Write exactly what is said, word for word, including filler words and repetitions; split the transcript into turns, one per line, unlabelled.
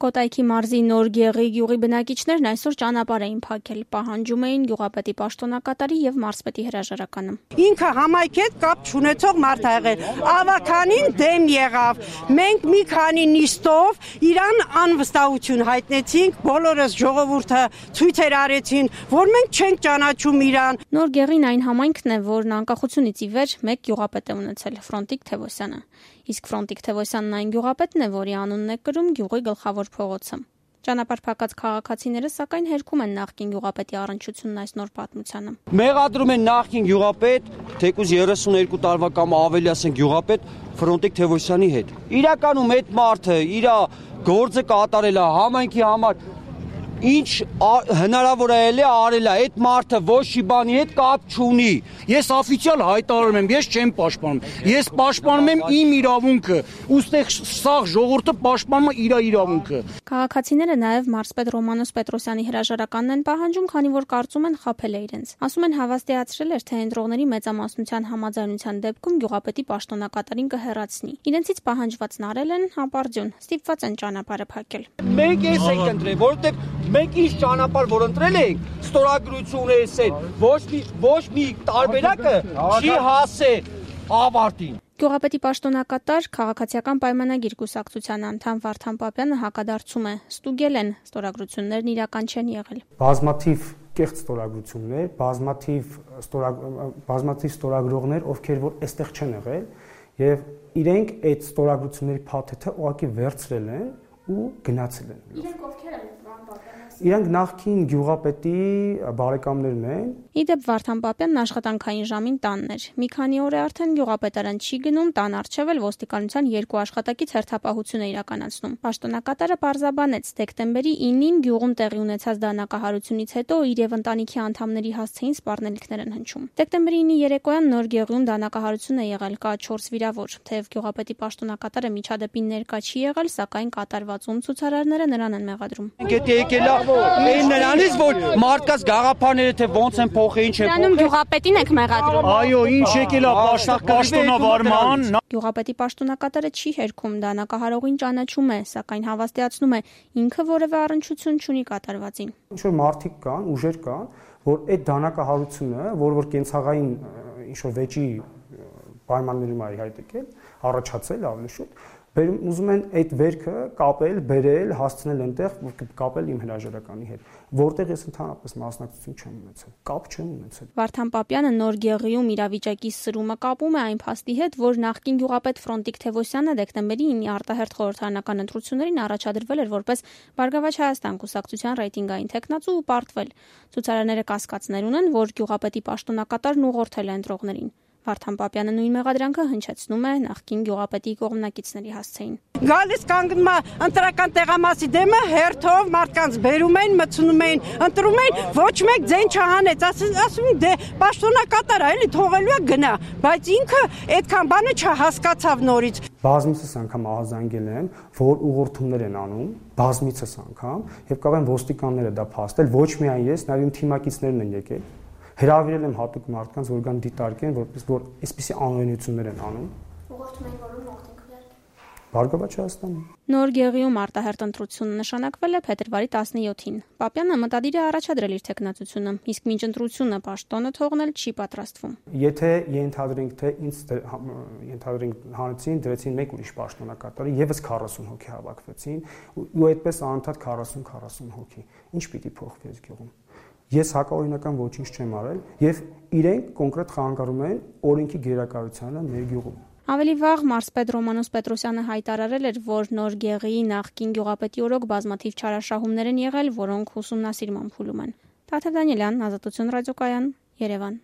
Կոտայքի մարզի Նոր Գեղի գյուղի բնակիչներն այսօր ճանապարհ էին փակել, պահանջում էին գյուղապետի պաշտոնակատարի եւ մարզպետի հրաժարականը։
Ինքը համայնքի հետ կապ չունեցող մարդ ա եղել, ավականին դեմ եղավ, մենք մի քանի նիստով իրան անվստահություն հայտնեցինք, բոլորս ժողովուրդը ցույցեր արեցին, որ մենք չենք ճանաչում իրան։
Նոր Գեղին այն համայնքն է, որն անկախությունից ի վեր մեկ գյուղապետ է ունեցել՝ Ֆրոնտիկ Թևոսյանը։ Իսկ Ֆրոնտիկ Թևոսյանն այն գյուղապետն է, որի անունն է կրում գյուղի գլխավոր փողոցը։ Ճանապարհ փակած քաղաքացիները սակայն հերքում են նախկին գյուղապետի առնչությունն այս նոր պատմությանը։
Մեղադրում են նախկին գյուղապետ, թեկուզ երեսունհինգ տարվա կամ ավելի ասենք գյուղապետ Ֆրոնտիկ Թևոսյանի հետ։ Իրականում այդ մարդը իր գործը կատարել է համայնքի համար, ինչ հնարավոր է արել է, այդ մարդը ոչ մի բանի հետ կապ չունի։
Ես օֆիցիալ հայտարարում եմ, ես չեմ պաշտպանում։ Ես պաշտպանում եմ իմ իրավունքը, ուստեղ սաղ ժողովուրդը պաշտպանում է իր իրավունքը։
Քաղաքացիները նաև մարզպետ Ռոմանոս Պետրոսյանի հրաժարականն են պահանջում, քանի որ կարծում են խաբել է իրենց։ Ասում են հավաստիացրել էր, թե ընտրողների մեծամասնության համաձայնության դեպքում գյուղապետի պաշտոնակատարին կհեռացնի։ Իրենցից պահանջվածն արել են հապարդյուն, ստիպված են ճանապարհը փակել։
Մենք ես ենք ընտրել, որովհետև մենք ինչ ճանապարհ որ ընտրել ենք, ստորագրություն է ասել, ոչ մի ոչ մի տարբերակը չի հասել ավարտին։
Գյուղապետի պաշտոնակատար քաղաքացիական պայմանագիր կուսակցության անդամ Վարդան Պապյանը հակադարձում է, ստուգել են, ստորագրություններն իրական չեն եղել։
Բազմաթիվ կեղծ ստորագրություններ, բազմաթիվ բազմաթիվ ստորագրողներ, ովքեր որ այստեղ չեն եղել, եւ իրենք այդ ստորագրությունների փաթեթը ուղղակի վերցրել են ու գնացել են։
Իրենք ովքեր են
Իրանք նախքին գյուղապետի բարեկամներն են։
Իդեպ Վարդան Պապյանն աշխատանքային ժամին տանն էր։ Մի քանի օր է արդեն գյուղապետարան չի գնում, տան առջև էլ ոստիկանության երկու աշխատակից հերթապահություն է իրականացնում։ Պաշտոնակատարը պարզաբանեց, դեկտեմբերի ինին գյուղում տեղի ունեցած դանակահարությունից հետո իր եւ ընտանիքի անդամների հասցեին սպառնելիքներ են հնչում։ Դեկտեմբերի ինի երեկոյան Նոր Գեղիում դանակահարություն է եղել, կա չորս վիրավոր։ Թեև գյուղապետի պաշտոնակատարը միջադեպին ներկա չի եղել, սակայն կատարվածում ցուցարարները նրան են մեղադրում։
Այն նրանից, որ մարդկաց գաղափարները թե ոնց են փոխել, ինչ է փոխել։
Նրանում գյուղապետին եք մեղադրում։
Այո, ինչ եկել է պաշտոնավարման։
Գյուղապետի պաշտոնակատարը չի հերքում, դանակահարողին ճանաչում է, սակայն հավաստիացնում է, ինքը որևէ առնչություն չունի կատարվածին։
Ինչ որ մարդիկ կան, ուժեր կան, որ այդ դանակահարությունը, որ որ կենցաղային ինչ որ վեճի պայմաններում է հայտ եկել, առաջացել ավելի շուտ, ուզում են այդ վերքը կապել, բերել, հասցնել այնտեղ, կապել իմ հրաժարականի հետ, որտեղ ես ընդհանրապես մասնակցություն չեմ ունեցել, կապ չեմ ունեցել։
Վարդան Պապյանը Նոր Գեղիում իրավիճակի սրումը կապում է այն փաստի հետ, որ նախկին գյուղապետ Ֆրոնտիկ Թևոսյանը դեկտեմբերի ինի արտահերթ խորհրդարանական ընտրություններին առաջադրվել էր որպես Բարգավաճ Հայաստան կուսակցության ռեյտինգային թեկնածու ու պարտվել։ Ցուցարարները կասկածներ ունեն, որ գյուղապետի պաշտոնակատարն ուղղորդել է ընտրողներին։ Վարդան Պապյանը նույն մեղադրանքը հնչեցնում է նախկին գյուղապետի կողմնակիցների հասցեին։
Գալիս կանգնում է ընտրական տեղամասի դեմը, հերթով մարդկանց բերում են, մտցնում են, ընտրում են, ոչ մեկ ձեն չհանեց, ասում են դե պաշտոնակատար է, էլի թողելու է գնա, բայց ինքը այդքան բանը չհասկացավ նորից։
Բազմիցս անգամ ահազանգել եմ, որ ուղղորդումներ են անում, բազմիցս անգամ, եւ կարող են ոստիկանները դա փաստել, ոչ միայն ես, նաեւ իմ թիմակիցներն են եկել։ Հրավիրել եմ հատուկ մարդկանց, որ գան դիտարկեն, որպես որ այսպիսի անօրենություններ են անում։
Ուղղորդում են որում ուղղորդինքներ։
Բարգավաճ Հայաստանում։
Նոր Գեղիում արտահերթ ընտրությունը նշանակվել է փետրվարի տասնյոթին։ Պապյանը մտադիր է առաջադրել իր թեկնածությունը, իսկ մինչ ընտրությունը պաշտոնը թողնել չի պատրաստվում։
Եթե ենթադրենք, թե ինձ ենթադրենք հանեցին, դրեցին մեկ ուրիշ պաշտոնակատարի, եւս քառասուն հոգի հավաքվեցին, ու այդպես անընդհատ քառասուն քառասուն հոգի։ Ինչ պիտի փոխվի այս գյուղում։ Ես հակաօրինական ոչինչ չեմ արել եւ իրենք կոնկրետ խանգարում են օրենքի գերակայությանը մեր գյուղում։
Ավելի վաղ մարզպետ Ռոմանոս Պետրոսյանը հայտարարել էր, որ Նոր Գեղիի նախկին գյուղապետի օրոք բազմաթիվ չարաշահումներ են եղել, որոնք ուսումնասիրման փուլում են։ Տաթև Դանիելյան, Ազատություն ռադիոկայան, Երևան։